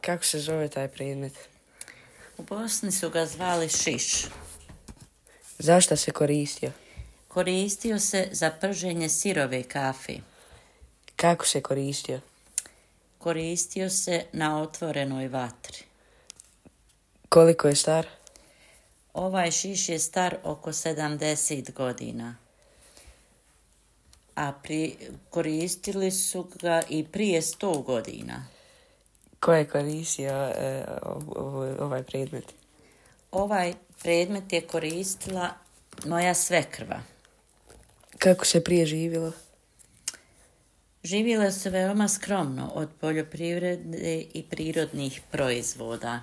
Kako se zove taj predmet? U Bosni su ga zvali šiš. Zašto se koristio? Koristio se za prženje sirove kafe. Kako se koristio? Koristio se na otvorenoj vatri. Koliko je star? Ovaj šiš je star oko 70 godina. A koristili su ga i prije 100 godina. Ko je koristio ovaj predmet? Ovaj predmet je koristila moja svekrva. Kako se prije živjelo? Živjelo se veoma skromno od poljoprivrede i prirodnih proizvoda.